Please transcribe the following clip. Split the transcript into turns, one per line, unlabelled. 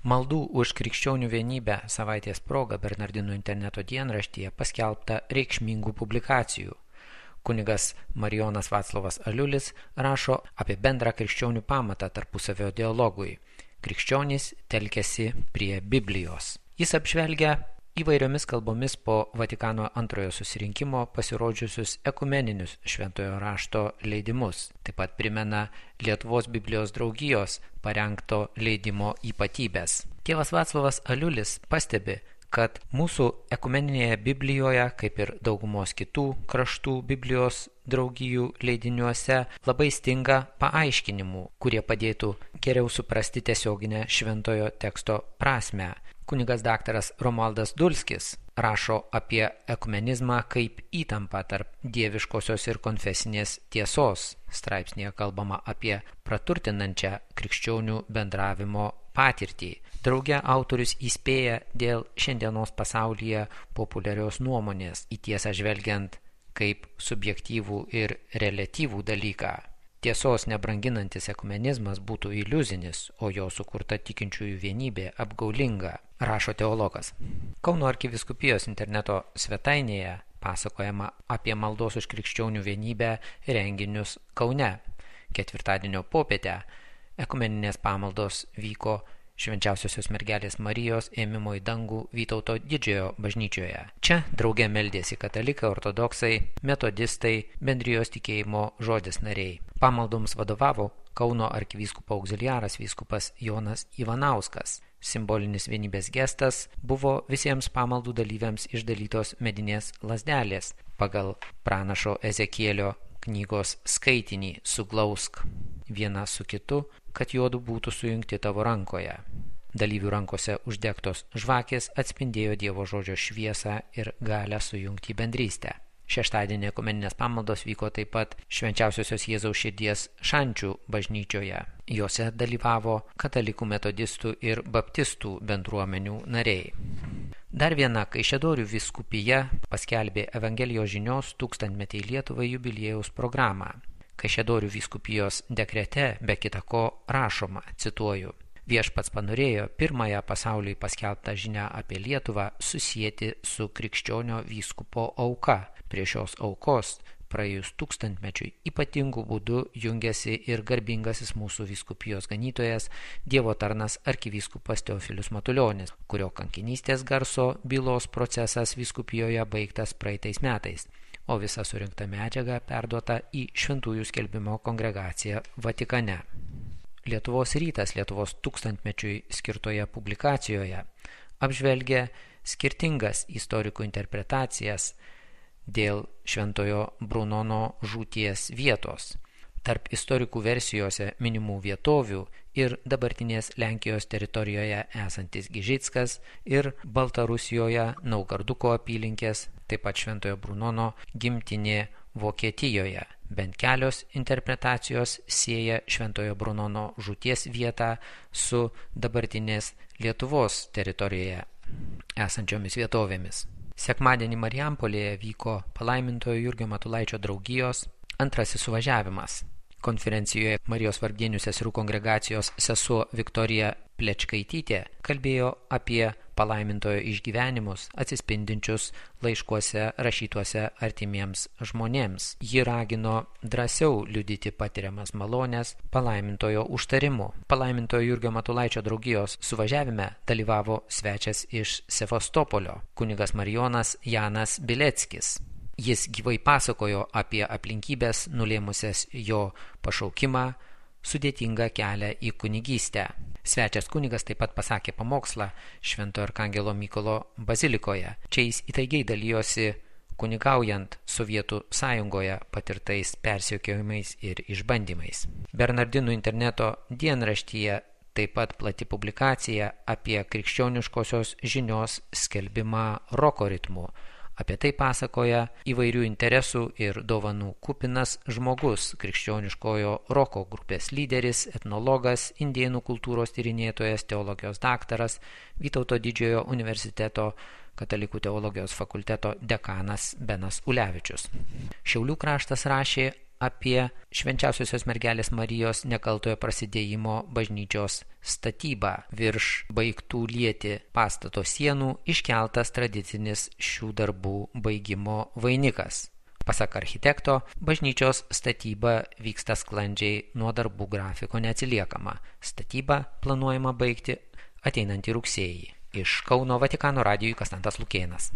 Maldų už krikščionių vienybę savaitės proga Bernardinų interneto dienraštyje paskelbta reikšmingų publikacijų. Kunigas Marijonas Vaclovas Aliulis rašo apie bendrą krikščionių pamatą tarpusavio dialogui. Krikščionys telkiasi prie Biblijos. Jis apžvelgia įvairiomis kalbomis po Vatikano antrojo susirinkimo pasirodžiusius ekumeninius šventojo rašto leidimus. Taip pat primena Lietuvos Biblijos draugijos parengto leidimo ypatybės. Tėvas Vaclovas Aliulis pastebi, kad mūsų ekumeninėje Biblijoje, kaip ir daugumos kitų kraštų Biblijos draugijų leidiniuose, labai stinga paaiškinimų, kurie padėtų geriau suprasti tiesioginę šventojo teksto prasmę. Kunigas daktaras Romualdas Dulskis rašo apie ekumenizmą kaip įtampą tarp dieviškosios ir konfesinės tiesos. Straipsnėje kalbama apie praturtinančią krikščionių bendravimo patirtį. Drauge autorius įspėja dėl šiandienos pasaulyje populiarios nuomonės, į tiesą žvelgiant kaip subjektyvų ir reliatyvų dalyką. Tiesos nebranginantis ekumenizmas būtų iliuzinis, o jo sukurta tikinčiųjų vienybė apgaulinga, rašo teologas. Kauno arkivyskupijos interneto svetainėje pasakojama apie maldos už krikščionių vienybę renginius Kaune. Ketvirtadienio popietę ekumeninės pamaldos vyko Švenčiausiosios mergelės Marijos ėmimo į dangų Vytauto didžiojo bažnyčioje. Čia drauge meldėsi katalikai, ortodoksai, metodistai, bendrijos tikėjimo žodis nariai. Pamaldoms vadovavo Kauno arkivyskupo auxiliaras vyskupas Jonas Ivanauskas. Simbolinis vienybės gestas buvo visiems pamaldų dalyviams išdalytos medinės lazdelės pagal pranašo Ezekielio knygos skaitinį "Suglausk vieną su kitu, kad juodu būtų sujungti tavo rankoje". Dalyvių rankose uždegtos žvakės atspindėjo Dievo žodžio šviesą ir galią sujungti bendrystę. Šeštadienį ekumeninės pamaldos vyko taip pat Švenčiausiosios Jėzaus širdies Šančių bažnyčioje. Jose dalyvavo katalikų, metodistų ir baptistų bendruomenių nariai. Dar viena Kaišiadorių vyskupija paskelbė Evangelijos žinios 1000-metei Lietuvai jubiliejaus programą. Kaišiadorių vyskupijos dekrete be kita ko rašoma, cituoju: "Viešpats panorėjo pirmąją pasauliui paskelbtą žinią apie Lietuvą susieti su krikščionio vyskupo auka. Prie šios aukos praėjus 1000-mečiui ypatingų būdų jungiasi ir garbingasis mūsų vyskupijos ganytojas, Dievo tarnas arkivyskupas Teofilius Matulionis, kurio kankinystės garso bylos procesas vyskupijoje baigtas praeitais metais, o visa surinkta medžiaga perduota į Šventųjų skelbimo kongregaciją Vatikane." Lietuvos rytas Lietuvos 1000-mečiui skirtoje publikacijoje apžvelgia skirtingas istorikų interpretacijas dėl Šventojo Brunono žūties vietos. Tarp istorikų versijose minimų vietovių ir dabartinės Lenkijos teritorijoje esantis Gižickas ir Baltarusijoje Naugarduko apylinkės, taip pat Šventojo Brunono gimtinė Vokietijoje. Bent kelios interpretacijos sieja Šventojo Brunono žūties vietą su dabartinės Lietuvos teritorijoje esančiomis vietovėmis. Sekmadienį Marijampolėje vyko palaimintojo Jurgio Matulaičio draugijos antrasis suvažiavimas. Konferencijoje Marijos vargdienių seserų kongregacijos sesuo Viktorija Plečkaitytė kalbėjo apie palaimintojo išgyvenimus atsispindinčius laiškuose rašytuose artimiems žmonėms. Ji ragino drąsiau liudyti patiriamas malones palaimintojo užtarimu. Palaimintojo Jurgio Matulaičio draugijos suvažiavime dalyvavo svečias iš Sevastopolio, kunigas Marijonas Janas Bileckis. Jis gyvai pasakojo apie aplinkybės nulėmusias jo pašaukimą, sudėtingą kelią į kunigystę. Svečias kunigas taip pat pasakė pamokslą Šventojo Arkangelo Mykolo bazilikoje. Čia jis įtaigiai dalijosi kunigaujant Sovietų sąjungoje patirtais persekiojimais ir išbandymais. Bernardinų interneto dienraštyje taip pat plati publikacija apie krikščioniškosios žinios skelbimą roko ritmu. Apie tai pasakoja įvairių interesų ir dovanų kupinas žmogus, krikščioniškojo roko grupės lyderis, etnologas, indėnų kultūros tyrinėtojas, teologijos daktaras, Vytauto didžiojo universiteto katalikų teologijos fakulteto dekanas Benas Ulevičius. Šiaulių kraštas rašė apie Švenčiausiosios mergelės Marijos nekaltojo prasidėjimo bažnyčios statybą. Virš baigtų lieti pastato sienų iškeltas tradicinis šių darbų baigimo vainikas. Pasak architekto, bažnyčios statyba vyksta sklandžiai, nuo darbų grafiko neatsiliekama. Statybą planuojama baigti ateinantį rugsėjį. Iš Kauno Vatikano radijui Konstantas Lukėnas.